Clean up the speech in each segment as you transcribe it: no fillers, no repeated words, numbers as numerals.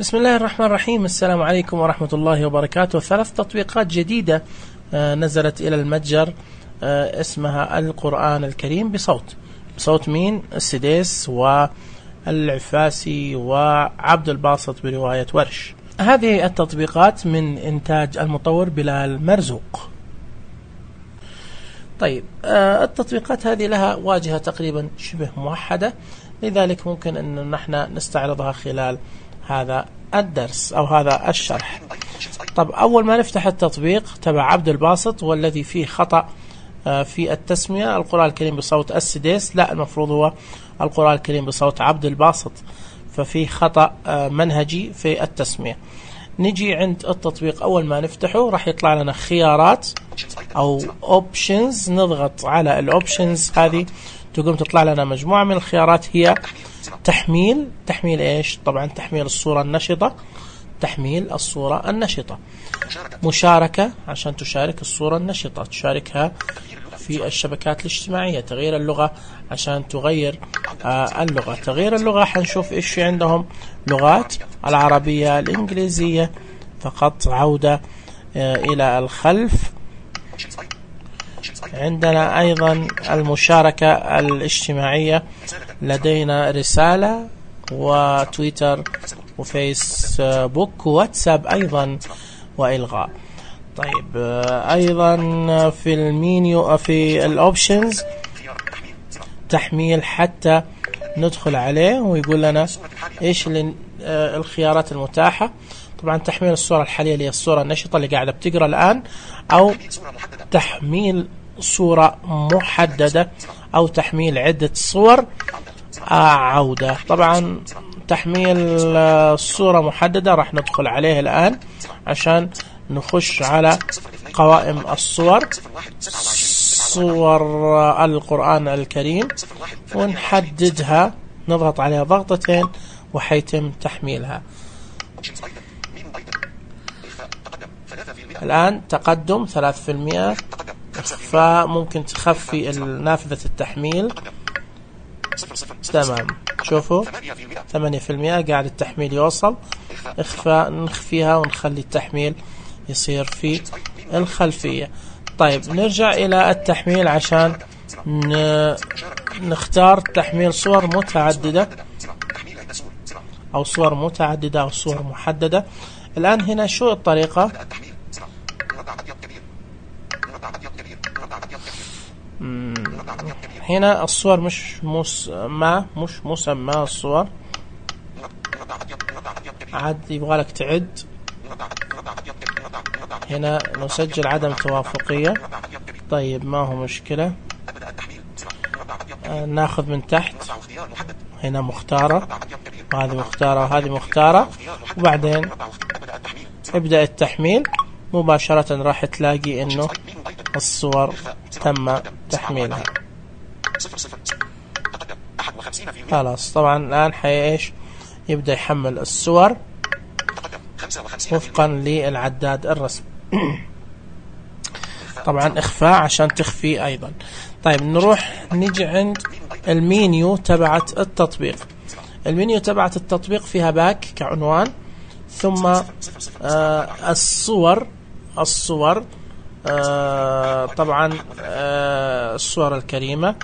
بسم الله الرحمن الرحيم. السلام عليكم ورحمة الله وبركاته. 3 تطبيقات جديدة نزلت إلى المتجر اسمها القرآن الكريم بصوت مين؟ السديس والعفاسي وعبد الباسط برواية ورش. هذه التطبيقات من إنتاج المطور بلال مرزوق. طيب، التطبيقات هذه لها واجهة تقريبا شبه موحدة، لذلك ممكن أن نحن نستعرضها خلال هذا الدرس أو هذا الشرح. طب أول ما نفتح التطبيق تبع عبد الباسط والذي فيه خطأ في التسمية، القرآن الكريم بصوت السديس، لا، المفروض هو القرآن الكريم بصوت عبد الباسط، ففي خطأ منهجي في التسمية. نجي عند التطبيق، أول ما نفتحه راح يطلع لنا خيارات أو options، نضغط على الأوبشنز هذه تقوم تطلع لنا مجموعة من الخيارات، هي تحميل إيش؟ طبعا تحميل الصورة النشطة، تحميل الصورة النشطة، مشاركة عشان تشارك الصورة النشطة، تشاركها في الشبكات الاجتماعية، تغيير اللغة عشان تغير اللغة، تغيير اللغة حنشوف إيش في عندهم لغات، العربية، الإنجليزية فقط، عودة إلى الخلف. عندنا أيضا المشاركة الاجتماعية، لدينا رسالة وتويتر وفيسبوك وواتساب أيضا وإلغاء. طيب، أيضا في المينيو في الأوبشنز تحميل حتى ندخل عليه ويقول لنا إيش الخيارات المتاحة. طبعا تحميل الصورة الحالية اللي هي الصورة النشطة اللي قاعدة بتقرأ الآن، أو تحميل صورة محددة، أو تحميل عدة صور، عودة. طبعا تحميل صورة محددة راح ندخل عليه الآن عشان نخش على قوائم الصور، صور القرآن الكريم، ونحددها، نضغط عليها ضغطتين وحيتم تحميلها. الآن تقدم 3%، فممكن تخفي نافذة التحميل. تمام، شوفوا 8% قاعد التحميل يوصل، اخفاء نخفيها ونخلي التحميل يصير في الخلفية. طيب، نرجع إلى التحميل عشان نختار تحميل صور متعددة أو صور متعددة أو صور محددة. الآن هنا شو الطريقة؟ هنا الصور مش مسمى الصور، عاد يبغالك تعد. هنا نسجل عدم توافقية. طيب، ما هو مشكلة، ناخذ من تحت، هنا مختارة، وهذه مختارة وهذه مختارة، وبعدين ابدأ التحميل. مباشرة راح تلاقي انه الصور تم تحميلها. خلاص، طبعا الآن ايش يبدأ يحمل الصور وفقا للعداد الرسمي. طبعا اخفاء عشان تخفي ايضا. طيب، نيجي عند المينيو تبعت التطبيق. المينيو تبعت التطبيق فيها باك كعنوان، ثم الصور طبعا الصور الكريمة،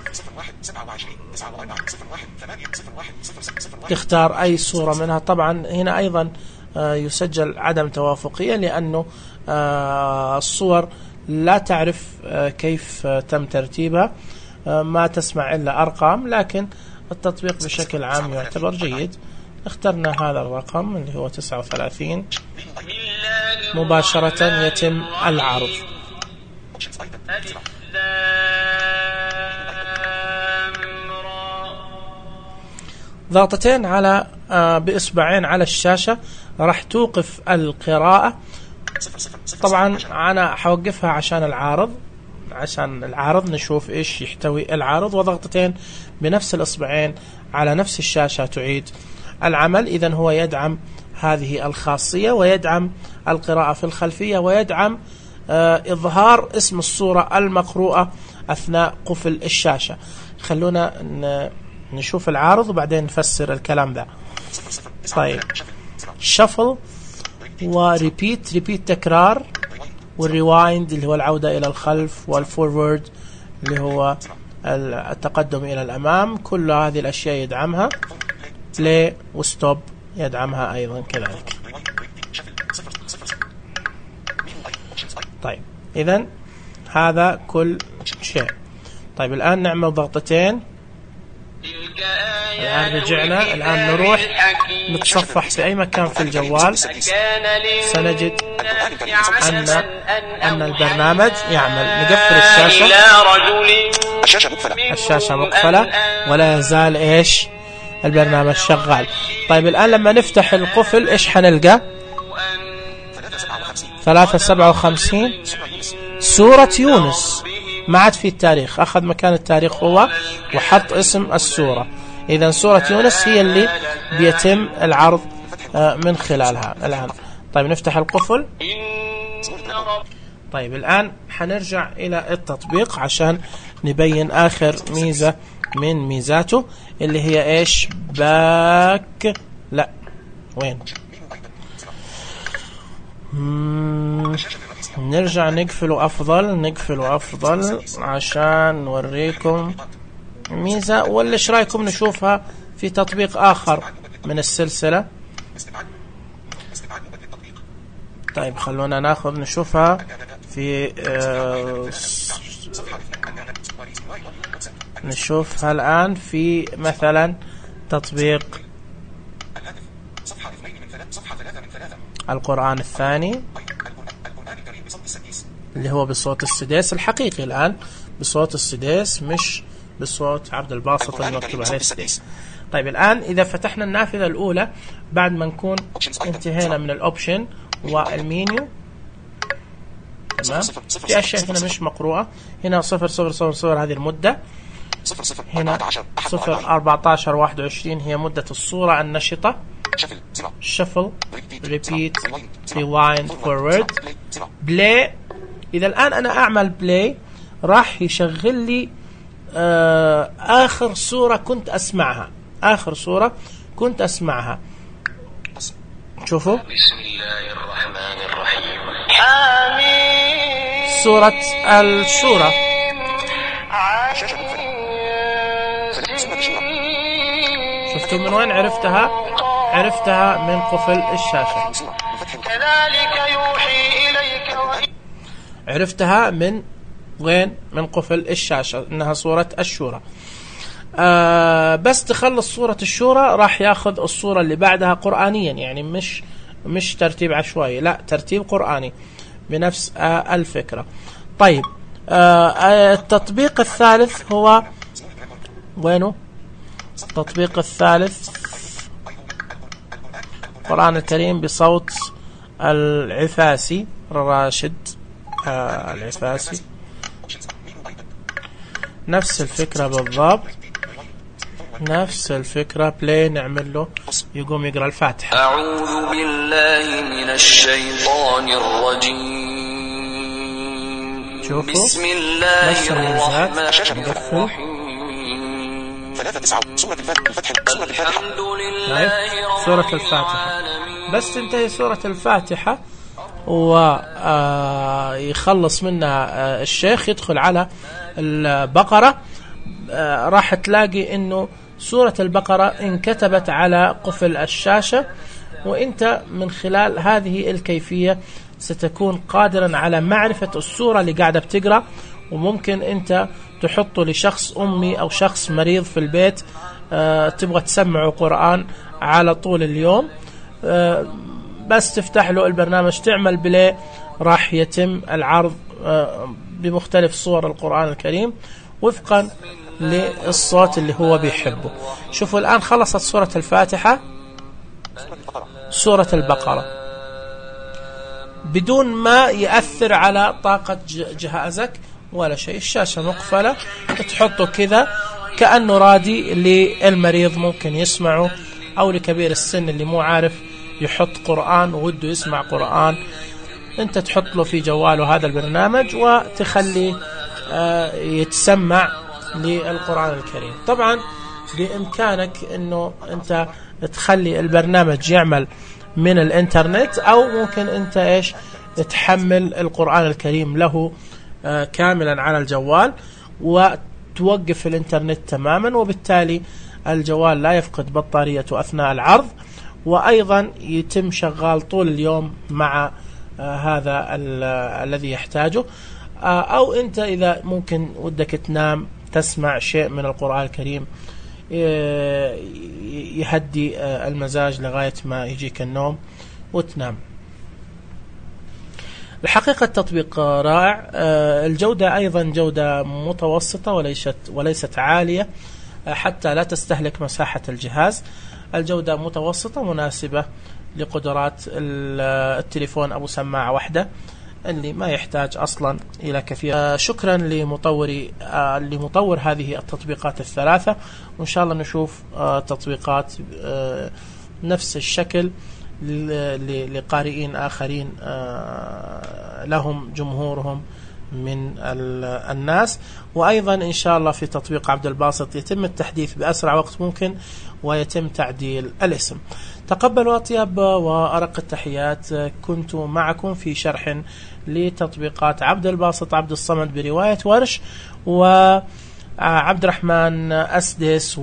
تختار أي صورة منها. طبعا هنا أيضا يسجل عدم توافقية، لأنه الصور لا تعرف كيف تم ترتيبها، ما تسمع إلا أرقام، لكن التطبيق بشكل عام يعتبر جيد. اخترنا هذا الرقم اللي هو 39، مباشرة يتم العرض. ضغطتين على بإصبعين على الشاشة راح توقف القراءة. طبعا أنا حوقفها عشان العارض نشوف إيش يحتوي العارض، وضغطتين بنفس الإصبعين على نفس الشاشة تعيد العمل. إذن هو يدعم هذه الخاصية، ويدعم القراءة في الخلفية، ويدعم إظهار اسم الصورة المقروءة أثناء قفل الشاشة. خلونا نشوف العارض وبعدين نفسر الكلام ده. طيب، شفل وريبيت، ريبيت تكرار، والريوايند اللي هو العودة إلى الخلف، والفورورد اللي هو التقدم إلى الأمام. كل هذه الأشياء يدعمها. بلاي وستوب يدعمها أيضا كذلك. طيب إذن هذا كل شيء. طيب الآن نعمل ضغطتين. الآن رجعنا. الآن نروح نتصفح في أي مكان في الجوال، سنجد أن البرنامج يعمل. نقفل الشاشة، الشاشة مقفلة ولا يزال إيش البرنامج شغال. طيب الآن لما نفتح القفل إيش حنلقى؟ 357 سورة يونس، ما عاد في التاريخ، أخذ مكان التاريخ هو وحط اسم السورة. إذن سورة يونس هي اللي بيتم العرض من خلالها الآن. طيب نفتح القفل. طيب الآن حنرجع إلى التطبيق عشان نبين آخر ميزة من ميزاته اللي هي إيش؟ باك، لا وين؟ نرجع نقفله أفضل عشان نوريكم ميزة. ولا إيش رأيكم نشوفها في تطبيق آخر من السلسلة؟ طيب خلونا ناخذ نشوفها في نشوفها الآن في مثلا تطبيق القرآن الثاني اللي هو بصوت السديس الحقيقي. الآن بصوت السديس مش بصوت عبد الباسط اللي مكتوب عليه السديس. طيب الآن إذا فتحنا النافذة الأولى بعد ما نكون انتهينا من الأوبشن والمينيو، تمام، في أشياء هنا مش مقروءة. هنا 0000 هذه المدة، هنا 01421 هي مدة الصورة النشطة. شفل، ريبيت، ريوايند، فورورد، بلاي. إذا الآن أنا أعمل بلاي راح يشغل لي آخر صورة كنت أسمعها. شوفوا بسم الله الرحمن الرحيم، سورة الشورى. شفتوا من وين عرفتها؟ عرفتها من قفل الشاشة. كذلك يوحي إليك، عرفتها من وين؟ من قفل الشاشة، إنها سورة الشورى. بس تخلص سورة الشورى راح ياخذ الصورة اللي بعدها قرآنيا، يعني مش ترتيب عشوائي، لا ترتيب قرآني بنفس الفكرة. طيب التطبيق الثالث هو وينه؟ التطبيق الثالث القرآن الكريم بصوت العفاسي راشد العفاسي، نفس الفكرة بالضبط، نفس الفكرة. بلاي نعمل له يقوم يقرأ الفاتحة. أعوذ بالله من الشيطان الرجيم. شوفوا بسم الله الرحمن الرحيم. 3 سورة الفتح، سورة الفاتحة. بس تنتهي سورة الفاتحة ويخلص منها الشيخ يدخل على البقرة، راح تلاقي انه سورة البقرة انكتبت على قفل الشاشة، وانت من خلال هذه الكيفية ستكون قادرا على معرفة السورة اللي قاعدة بتقرأ. وممكن انت تحطه لشخص أمي أو شخص مريض في البيت تبغى تسمعه قرآن على طول اليوم، بس تفتح له البرنامج تعمل بلاي، راح يتم العرض بمختلف صور القرآن الكريم وفقا للصوت اللي هو بيحبه. شوفوا الآن خلصت سورة الفاتحة، سورة البقرة بدون ما يأثر على طاقة جهازك ولا شيء. الشاشة مقفلة، تحطه كذا كأنه رادي للمريض ممكن يسمعه، أو لكبير السن اللي مو عارف يحط قرآن ووده يسمع قرآن، انت تحط له في جواله هذا البرنامج وتخليه يتسمع للقرآن الكريم. طبعا بإمكانك انه انت تخلي البرنامج يعمل من الانترنت، أو ممكن أنت إيش تحمل القرآن الكريم له كاملا على الجوال وتوقف الانترنت تماما، وبالتالي الجوال لا يفقد بطاريته أثناء العرض، وأيضا يتم شغال طول اليوم مع هذا الذي يحتاجه. أو أنت إذا ممكن ودك تنام تسمع شيء من القرآن الكريم يهدي المزاج لغاية ما يجيك النوم وتنام. الحقيقة التطبيق رائع. الجودة أيضا جودة متوسطة وليست عالية حتى لا تستهلك مساحة الجهاز. الجودة متوسطة مناسبة لقدرات التليفون أبو سماعة واحدة اللي ما يحتاج أصلا إلى كثير. شكرا لمطور هذه التطبيقات الثلاثة، وإن شاء الله نشوف تطبيقات نفس الشكل لقارئين آخرين لهم جمهورهم من الناس. وأيضا إن شاء الله في تطبيق عبد الباسط يتم التحديث بأسرع وقت ممكن ويتم تعديل الاسم. تقبلوا أطيب وأرق التحيات. كنت معكم في شرح لتطبيقات عبد الباسط عبد الصمد برواية ورش، وعبد الرحمن أسدس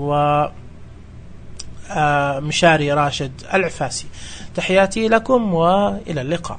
ومشاري راشد العفاسي. تحياتي لكم وإلى اللقاء.